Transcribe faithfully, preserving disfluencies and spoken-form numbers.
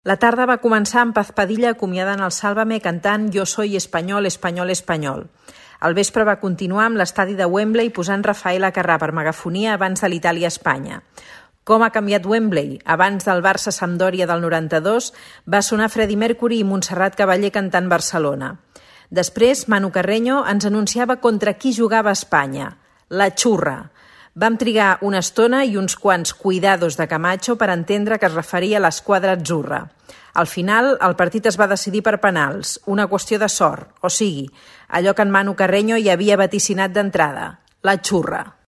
La tarda va començar amb Paz Padilla acomiadant el Sálvame cantant Yo soy español, español, español. Al vespre va continuar amb l'estadi de Wembley posant Rafael Acarrà per megafonia abans de l'Itàlia-Espanya. Com ha canviat Wembley? Abans del Barça-Sampdoria del noranta-dos va sonar Freddie Mercury i Montserrat Caballé cantant Barcelona. Després, Manu Carreño ens anunciava contra qui jugava Espanya, la xurra. Vam trigar una estona i uns quants cuidados de Camacho per entendre que es referia a l'esquadra atzurra. Al final, el partit es va decidir per penals, una qüestió de sort, o sigui, allò que en Manu Carreño hi havia vaticinat d'entrada, la xurra.